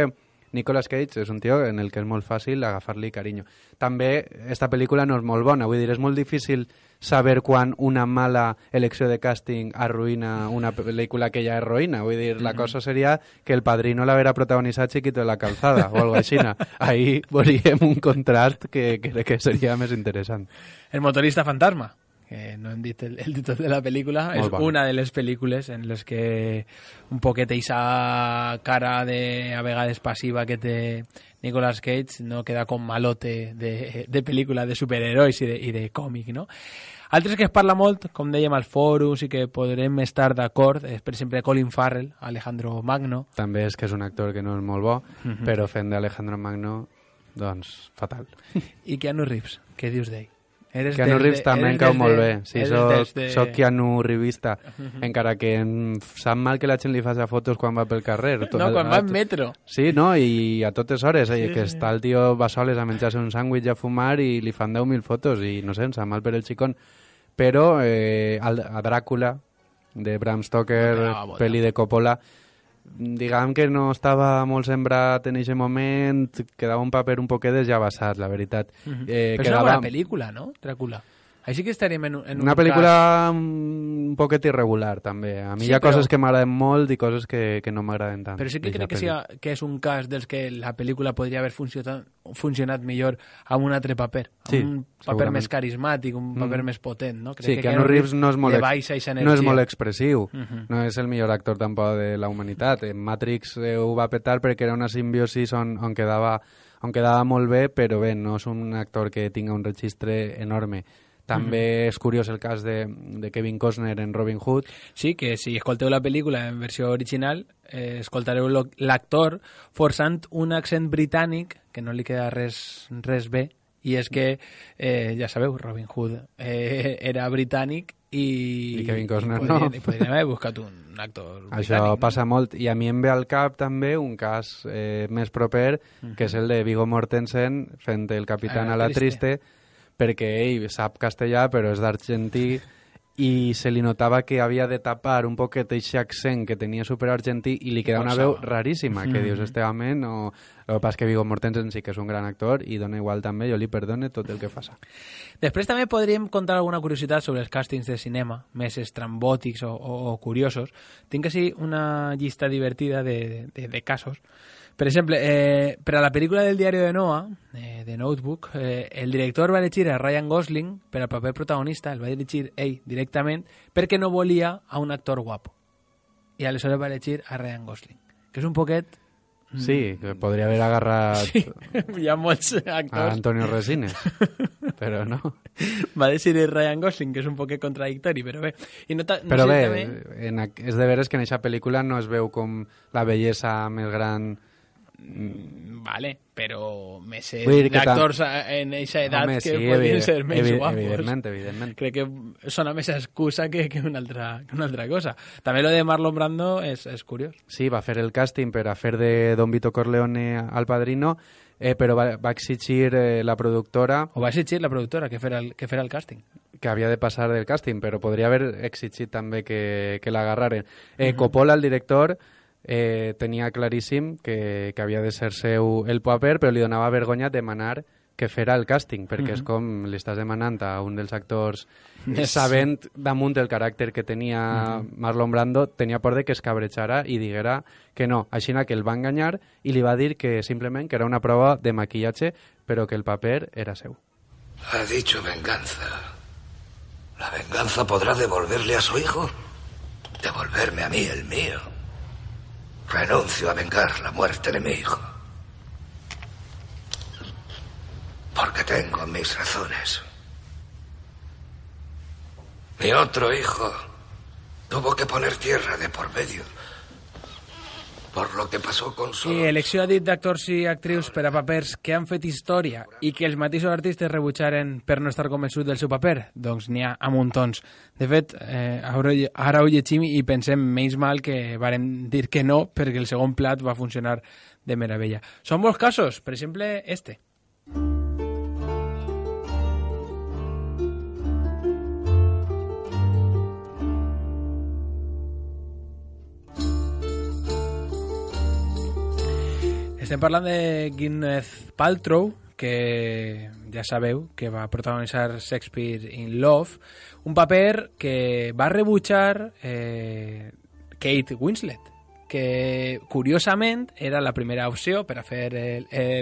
Nicolas Cage és un tio en el que és molt fàcil agafar-li carinyo. També esta pel·lícula no és molt bona, vull dir, és molt difícil saber quan una mala elecció de càsting arruïna una pel·lícula que ja és ruïna. Vull dir, la cosa seria que El Padrino l'haguera protagonitzat Chiquito de la Calzada o algo així. Ahí veuríem un contrast que crec que seria més interessant. El motorista fantasma, que no hem dit el títol de la pel·lícula, Molt és bona. una de les pel·lícules en les que un poquet eixa cara de, a vegades passiva que té Nicolas Cage no queda com malote de pel·lícula de superherois i de còmic, no? Altres que es parla molt, com dèiem als fòrums i que podrem estar d'acord, és per exemple Colin Farrell, Alejandro Magno. També és que és un actor que no és molt bo, però fent d'Alejandro Magno, doncs, fatal. I Keanu Reeves, què dius d'ell? Keanu Reeves també em cau molt bé. Sí, soc Keanu Reevista, encara que em sap mal que la gent li faci fotos quan va pel carrer. No, quan va en metro. Sí, no, i a totes hores, que està el tio va soles a menjar-se un sàndwich i a fumar i li fan 10.000 fotos i no sé, em sap mal per el xicón. Però a Dràcula, de Bram Stoker, pel·li de Coppola, diguem que no estava molt sembrat en aquest moment, quedava un paper un poquet desllavassat, la veritat. Però és una bona pel·lícula, no? Dràcula. Així que estaríem en un una pel·lícula un poquet irregular, també. A mi hi ha coses que m'agraden molt i coses que no m'agraden tant. Però sí que crec que és un cas dels que la pel·lícula podria haver funcionat millor amb un altre paper. Sí, un paper més carismàtic, un paper més potent, no? Crec Sí, que Keanu Reeves no és molt expressiu, no és el millor actor tampoc de la humanitat. En Matrix ho va petar perquè era una simbiosis on quedava molt bé, però bé, no és un actor que tinga un registre enorme. També és curiós el cas de Kevin Costner en Robin Hood. Sí, que si escolteu la pel·lícula en versió original, escoltareu l'actor forçant un accent britànic que no li queda res bé, i és que, ja sabeu, Robin Hood era britànic i Kevin Costner no. I podríem haver buscat un actor britànic. Això passa molt, i a mi em ve al cap també un cas més proper, que és el de Viggo Mortensen fent el capitán a la triste, perquè ell sap castellà però és d'argentí i se li notava que havia de tapar un poquet aquest accent que tenia superargentí i li queda una veu raríssima, que dius, este home no... El que passa és que Viggo Mortensen sí que és un gran actor i dona igual també, jo li perdone tot el que faça. Després també podríem contar alguna curiositat sobre els càstings de cinema, més estrambòtics o curiosos. Tinc així una llista divertida de casos. Per exemple, per a la pel·lícula del diari de Noah, de Notebook, el director va elegir a Ryan Gosling per al paper protagonista, el va elegir ell directament, perquè no volia a un actor guapo. I aleshores va elegir a Ryan Gosling, que és un poquet... Sí, que podria haver agarrat Sí, hi ha molts actors. a Antonio Resines, però no. Va decidir Ryan Gosling, que és un poquet contradictori, però bé. I no però sé, bé, també... és de veres que en aquesta pel·lícula no es veu com la bellesa més gran Vale, però més Vull dir que d'actors en eixa edat Home, que sí, podrien ser més guapos. Evidentment. Crec que sona més excusa que una altra cosa. També lo de Marlon Brando és curiós. Sí, va fer el càsting per a fer de Don Vito Corleone al Padrino, però va exigir la productora... O va exigir la productora que fera el càsting. Que havia de passar del càsting, però podria haver exigit també que l'agarraren. Coppola, el director, tenia claríssim que havia de ser seu el paper, però li donava vergonya demanar que fera el càsting, perquè és com li estàs demanant a un dels actors sabent damunt el caràcter que tenia Marlon Brando, tenia por de que es cabrejara i diguera que no. Així que el va enganyar i li va dir que simplement que era una prova de maquillatge, però que el paper era seu. Ha dicho venganza. ¿La venganza podrá devolverle a su hijo? Devolverme a mí el mío. Renuncio a vengar la muerte de mi hijo. Porque tengo mis razones. Mi otro hijo tuvo que poner tierra de por medio por lo que pasó con su... I elecció ha dit d'actors i actrius per a papers que han fet història i que els mateixos artistes rebutjaren per no estar convençuts del seu paper, doncs n'hi ha a muntons. De fet, ara ho llegim i pensem menys mal que varen dir que no, perquè el segon plat va funcionar de meravella. Són molts casos, per exemple, este. Estem parlant de Gwyneth Paltrow, que ja sabeu que va protagonitzar Shakespeare in Love, un paper que va rebutjar Kate Winslet, que curiosament era la primera opció per a fer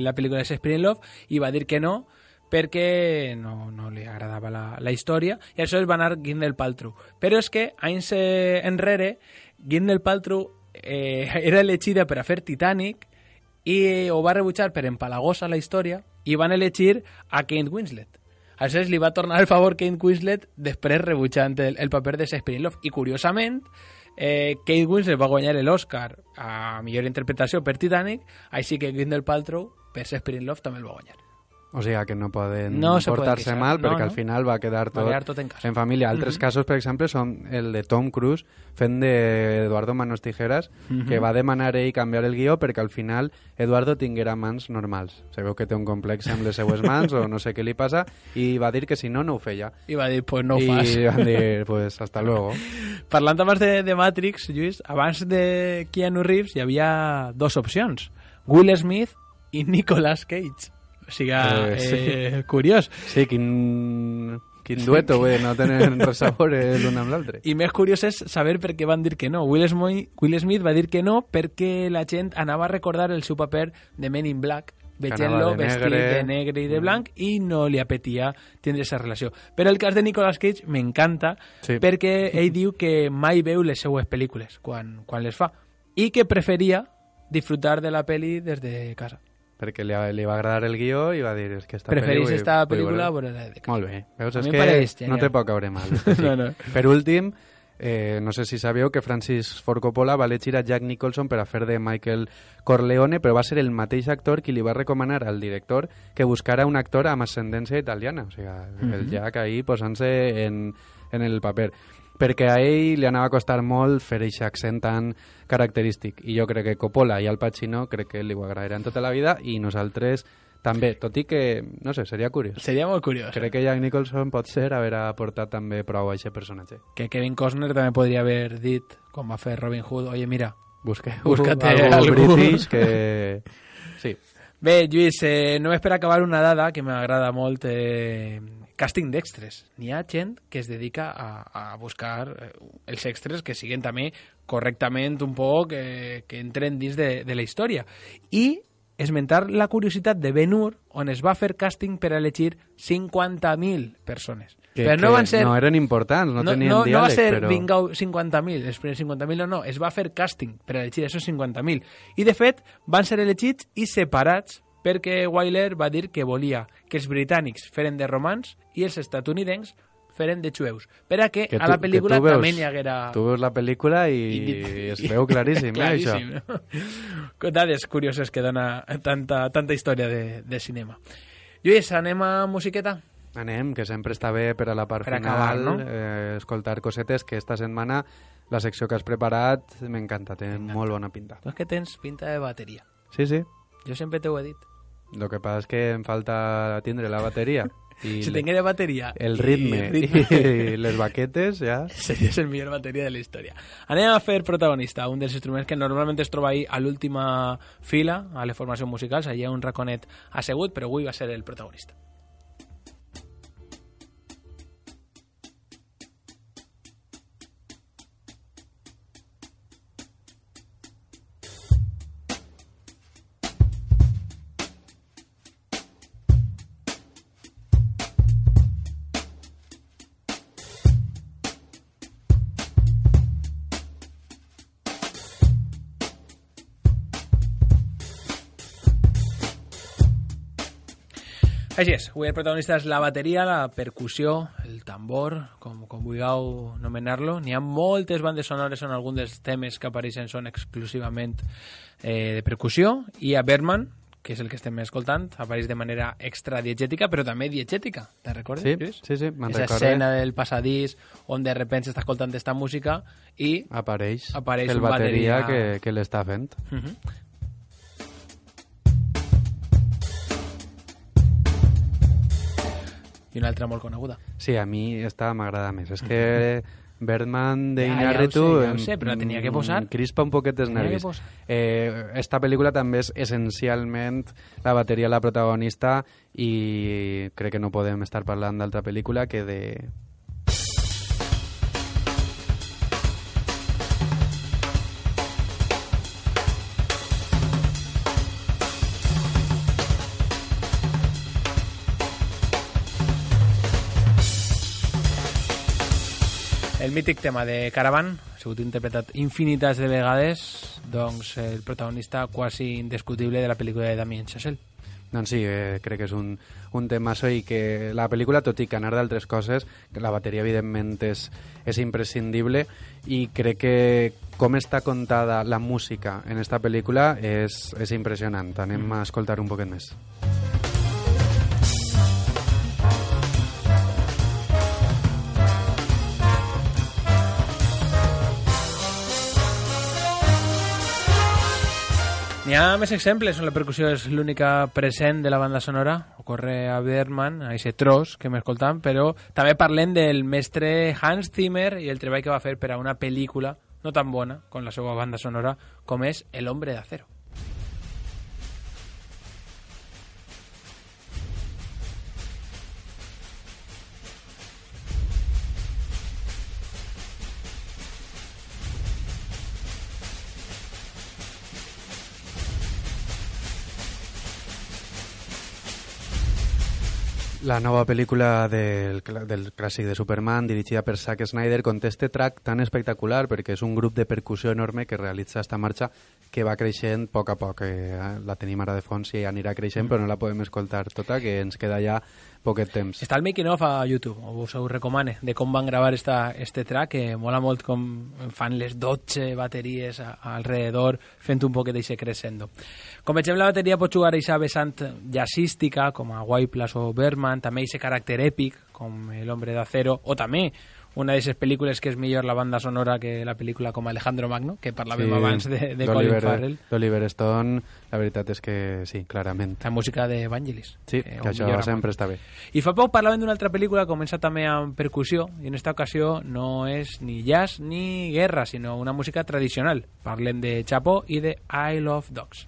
la pel·lícula de Shakespeare in Love i va dir que no perquè no li agradava la història i això es va anar Gwyneth Paltrow. Però és que anys enrere Gwyneth Paltrow era elegida per a fer Titanic i ho va rebutjar per empalagosa la història i van elegir a Kate Winslet. Aleshores li va tornar el favor Kate Winslet després rebutjant el paper de Shakespeare in Love. I curiosament, Kate Winslet va guanyar l'Oscar a millor interpretació per Titanic, així que Gwyneth Paltrow per Shakespeare in Love també el va guanyar. O sigui que no poden se portar-se poden mal perquè no. al final va quedar tot en casa. En família. Altres casos, per exemple, són el de Tom Cruise fent d'Eduardo Manos Tijeras, que va demanar ell canviar el guió perquè al final Eduardo tinguera mans normals. Se veu que té un complex amb les seues mans o no sé què li passa i va dir que si no, no ho feia. I va dir, pues no ho fas. I van dir, pues hasta luego. Parlant abans de Matrix, Lluís, abans de Keanu Reeves hi havia dos opcions. Will Smith i Nicolas Cage. O sigui, sí. Curiós. Sí, quin dueto, vull dir, no tenen res a veure l'un amb l'altre. I més curiós és saber per què van dir que no. Will Smith va dir que no perquè la gent anava a recordar el seu paper de Men in Black, veient-lo vestit de negre i de blanc, i no li apetia tindre aquesta relació. Però el cas de Nicolas Cage m'encanta, sí, perquè ell diu que mai veu les seues pel·lícules quan les fa, i que preferia disfrutar de la pel·li des de casa. Perquè li va agradar el guió i va dir és que preferís esta pel·lícula a la de casa. Molt bé, veus, és que no te pot caure mal. No. Per últim, no sé si sabeu que Francis Ford Coppola va elegir a Jack Nicholson per a fer de Michael Corleone, però va ser el mateix actor qui li va recomanar al director que buscara un actor amb ascendència italiana. O sigui, el Jack ahí posant-se en el paper, perquè a ell li anava a costar molt fer aquest accent tan característic, i jo crec que Coppola i Al Pacino crec que li ho agradaran tota la vida, i nosaltres també, tot i que, no sé, seria curiós. Seria molt curiós. Crec que Jack Nicholson pot ser haver aportat també prou a aquest personatge. Que Kevin Costner també podria haver dit, com va fer Robin Hood, oye, mira, búscate algú british que... Sí. Bé, Lluís, només per acabar una dada que m'agrada molt, càsting d'extres. N'hi ha gent que es dedica a buscar els extres que siguin també correctament un poc, que entren dins de la història. I esmentar la curiositat de Ben-Hur, on es va fer càsting per a elegir 50.000 persones. Però no van ser... No eren importants, no tenien diàleg, no va ser però... vingau 50.000, els primers 50.000 no, es va fer càsting per a elegir esos 50.000. I de fet van ser elegits i separats perquè Wyler va dir que volia que els britànics feren de romans i els estatunidencs feren de jueus. Per a que a la pel·lícula també n'hi haguera... Tu veus la pel·lícula i es veu claríssim, això. Dades curioses que dona tanta història de cinema. Lluís, anem a musiqueta? Anem, que sempre està bé per a la part per final, acabar, no? Escoltar cosetes, que esta setmana la secció que has preparat m'encanta, té molt bona pinta. Tu és que tens pinta de bateria. Sí, sí. Jo sempre t'ho he dit. Lo que passa és que em falta tindre la bateria. I si tinguera bateria... El ritme i les baquetes, ja... Series el millor bateria de la història. Anem a fer protagonista, un dels instruments que normalment es troba ahí a l'última fila, a les formacions musicals, allà un raconet assegut, però avui va ser el protagonista. Així és, avui el protagonista és la bateria, la percussió, el tambor, com vulgueu anomenar-lo. N'hi ha moltes bandes sonores on alguns dels temes que apareixen són exclusivament de percussió, i a Bergman, que és el que estem escoltant, apareix de manera extra diegètica, però també diegètica. Te'n recordes, Lluís? Sí, me'n recordo. Esa escena del passadís on de repente s'està escoltant esta música i apareix un bateria que l'està fent. I una altra molt coneguda. Sí, a mi esta m'agrada més. És que Bergman de Iñárritu ja ho sé, però la tenia que posar. Crispa un poquet els nervis. Esta pel·lícula també és essencialment la bateria la protagonista, i crec que no podem estar parlant d'altra pel·lícula que de... El mític tema de Caravan ha sigut interpretat infinites de vegades, doncs el protagonista quasi indiscutible de la pel·lícula de Damien Chazelle. Doncs sí, crec que és un temazo, i que la pel·lícula, tot i que anar d'altres coses, que la bateria evidentment és imprescindible, i crec que com està contada la música en esta pel·lícula és impressionant. Anem a escoltar un poquet més. N'hi ha més exemples on la percussió és l'única present de la banda sonora. Ocorre a Bergman, a aquest tros que hem escoltat, però també parlem del mestre Hans Zimmer i el treball que va fer per a una pel·lícula no tan bona com la seva banda sonora, com és El hombre de acero. La nova pel·lícula del clàssic de Superman, dirigida per Zack Snyder, conté este track tan espectacular perquè és un grup de percussió enorme que realitza esta marxa que va creixent a poc a poc. La tenim ara de fons i anirà creixent, però no la podem escoltar tota, que ens queda ja poquet temps. Està el making of a YouTube, us ho recomane, de com van gravar este track, que mola molt com fan les 12 bateries alrededor, fent un poquet d'això crescendo. Com vegem, la bateria pot jugar a aquesta vessant jazzística, com a Whiplash o Bergman, també aquest caràcter èpic, com El hombre de acero, o també una d'aquestes pel·lícules que és millor la banda sonora que la pel·lícula com Alejandro Magno, que parlàvem abans de Colin Farrell. D'Oliver Stone, la veritat és que sí, clarament. La música de Vangelis. Sí, que això sempre està bé. I fa poc parlàvem d'una altra pel·lícula que comença també amb percussió, i en esta ocasió no és ni jazz ni guerra, sinó una música tradicional. Parlem de Chapo i de Isle of Dogs.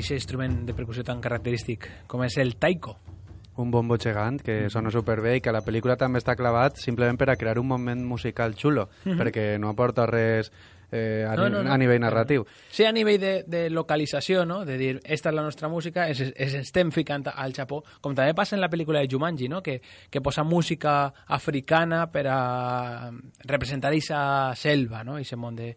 Aquest instrument de percussió tan característic com és el taiko. Un bombo gegant que sona superbé i que a la pel·lícula també està clavat simplement per a crear un moment musical xulo, perquè no aporta res a nivell narratiu. Sí, a nivell de localització, no? De dir, esta és la nostra música, estem ficant al Japó, com també passa en la pel·lícula de Jumanji, no? Que posa música africana per a representar aquesta selva, no? Aquest món de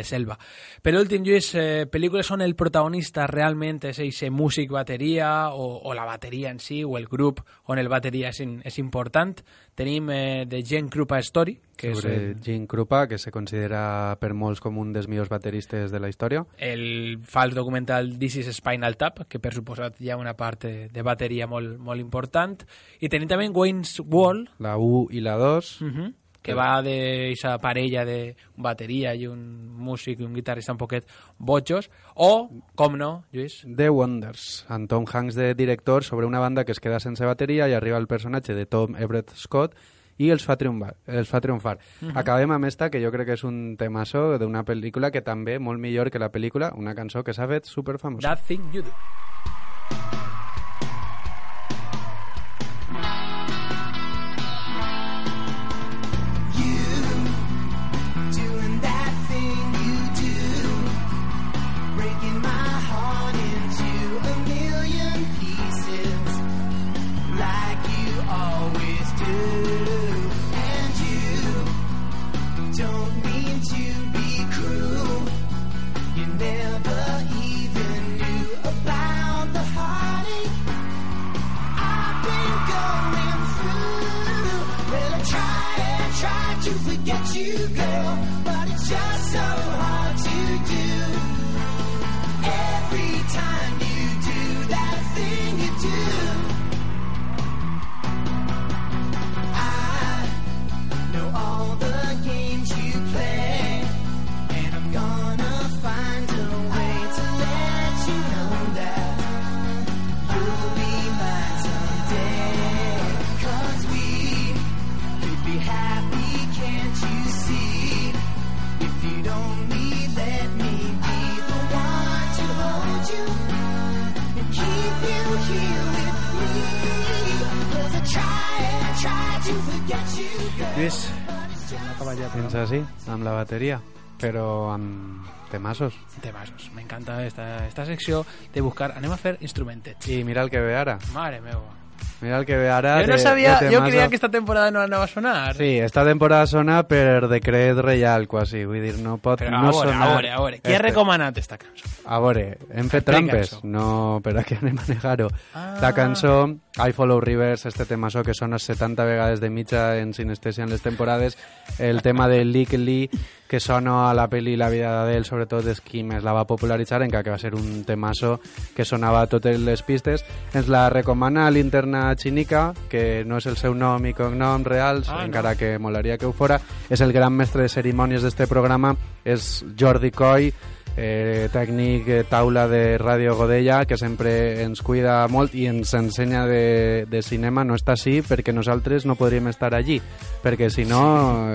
selva. Per últim, Lluís, pel·lícules on el protagonista realment és aquest músic bateria o la bateria en si o el grup on el bateria és important. Tenim The Gene Krupa Story, que sobre Gene Krupa, que se considera per molts com un dels millors bateristes de la història. El fals documental This is Spinal Tap, que per suposat hi ha una part de bateria molt, molt important. I tenim també Wayne's World, La 1 i la 2, que va d'aquesta parella de bateria i un músic i un guitarrista un poquet bojos, o, com no, Lluís? The Wonders, amb Tom Hanks de director, sobre una banda que es queda sense bateria i arriba el personatge de Tom Everett Scott i els fa triomfar. Acabem amb esta, que jo crec que és un temazo d'una pel·lícula que també, molt millor que la pel·lícula, una cançó que s'ha fet superfamosa. That Thing You Do. Get you, girl, but it's just so hard to do. Every time you do that thing you do, I know all the games you play, and I'm gonna find a way to let you know that you'll be mine someday. 'Cause we could be happy. Can't you see? If you'd only let me be the one to hold you and keep you here with me. 'Cause I try to forget you, girl. Lluís, Fins així, amb la bateria, però amb temasos. Temasos. M'encanta esta secció de buscar... Anem a fer instrumentets. I mira el que ve ara. Mare meva. Mira el que ve ara. Jo no sabia, jo creia que esta temporada no anava a sonar. Sí, esta temporada sona per decret reial, quasi. Vull dir, no pot Però no sonar... a veure. Qui ha recomanat esta cançó? A veure, hem fet trampes? No, però aquí anem a negar-ho. La cançó I Follow Rivers, este temazo que sona 70 vegades de mitja en sinestèsia en les temporades, el tema de Lick Lee, que sona a la pel·li La vida d'ell, sobretot és qui més la va popularitzar, encara que va ser un temazo que sonava a totes les pistes. Ens la recomana l'interna Chinica, que no és el seu nom i cognom reals, encara que molaria que ho fora. És el gran mestre de cerimònies d'este programa, és Jordi Coy, tècnic taula de Ràdio Godella, que sempre ens cuida molt i ens ensenya de cinema. No està així perquè nosaltres no podríem estar allí, perquè si no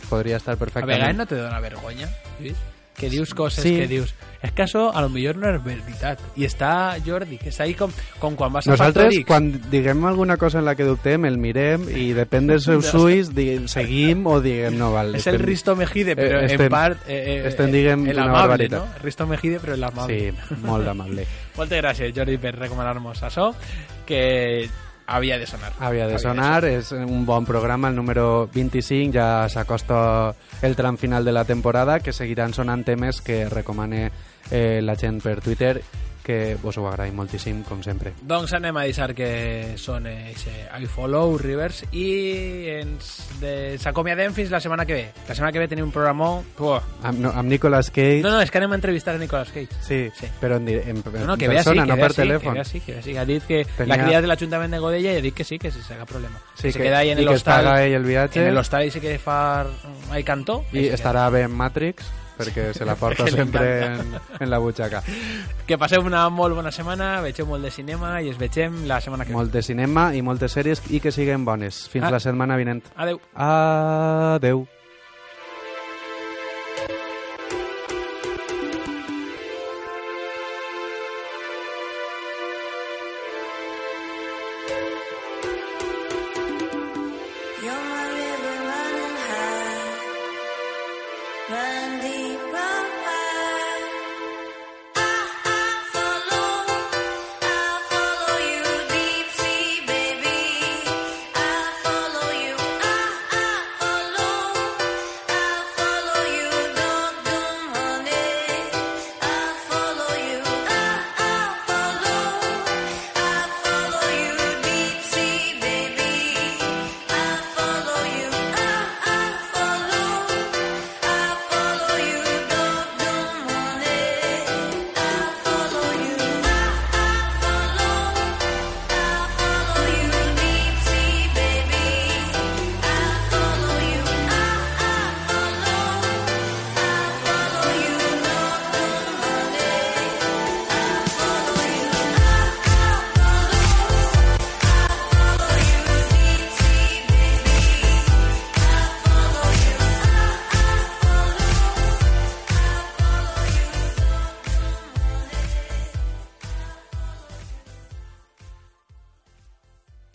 podria estar perfectament. A vegades no te dona vergonya, Lluís? Que dius coses que dius... És que això a lo millor no és veritat. I està Jordi, que és ahí com quan vas a Nosaltres, Factor X. quan diguem alguna cosa en la que dubtem, el mirem i depèn dels seus ulls, seguim o diguem no, val. És el Risto Mejide, però en part... estem diguem el una amable, barbaritat. no? Risto Mejide, però el amable. Sí, molt amable. Moltes gràcies, Jordi, per recomanar-nos això, que havia de sonar. Havia de sonar, és un bon programa, el número 25, ja s'acosta el tram final de la temporada, que seguiran sonant temes que recomane la gent per Twitter, que vos ho agraïm moltíssim, com sempre. Doncs anem a deixar que sone I Follow Rivers i ens acomiadem fins la setmana que ve. La setmana que ve tenim un programó... Amb Nicolas Cage... No, és que anem a entrevistar a Nicolas Cage. Sí. Però en que persona, no per Que telèfon. ve així. Ha dit que la cria de l'Ajuntament de Godella i ha dit que sí, que si s'haga problema. Sí, se queda ahí en i que es paga ell el viatge. En l'hostal i se queda far ahí cantó. I estarà bé en Matrix, perquè se la porta sempre en la butxaca. Que passeu una molt bona setmana, vegeu molt de cinema i es vegem la setmana que ve. Molt de cinema i moltes sèries i que siguen bones. Fins la setmana vinent. Adeu. Adeu. You're my river running high, run deep.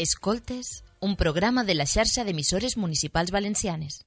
Escoltes, un programa de la xarxa d'emissores municipals valencianes.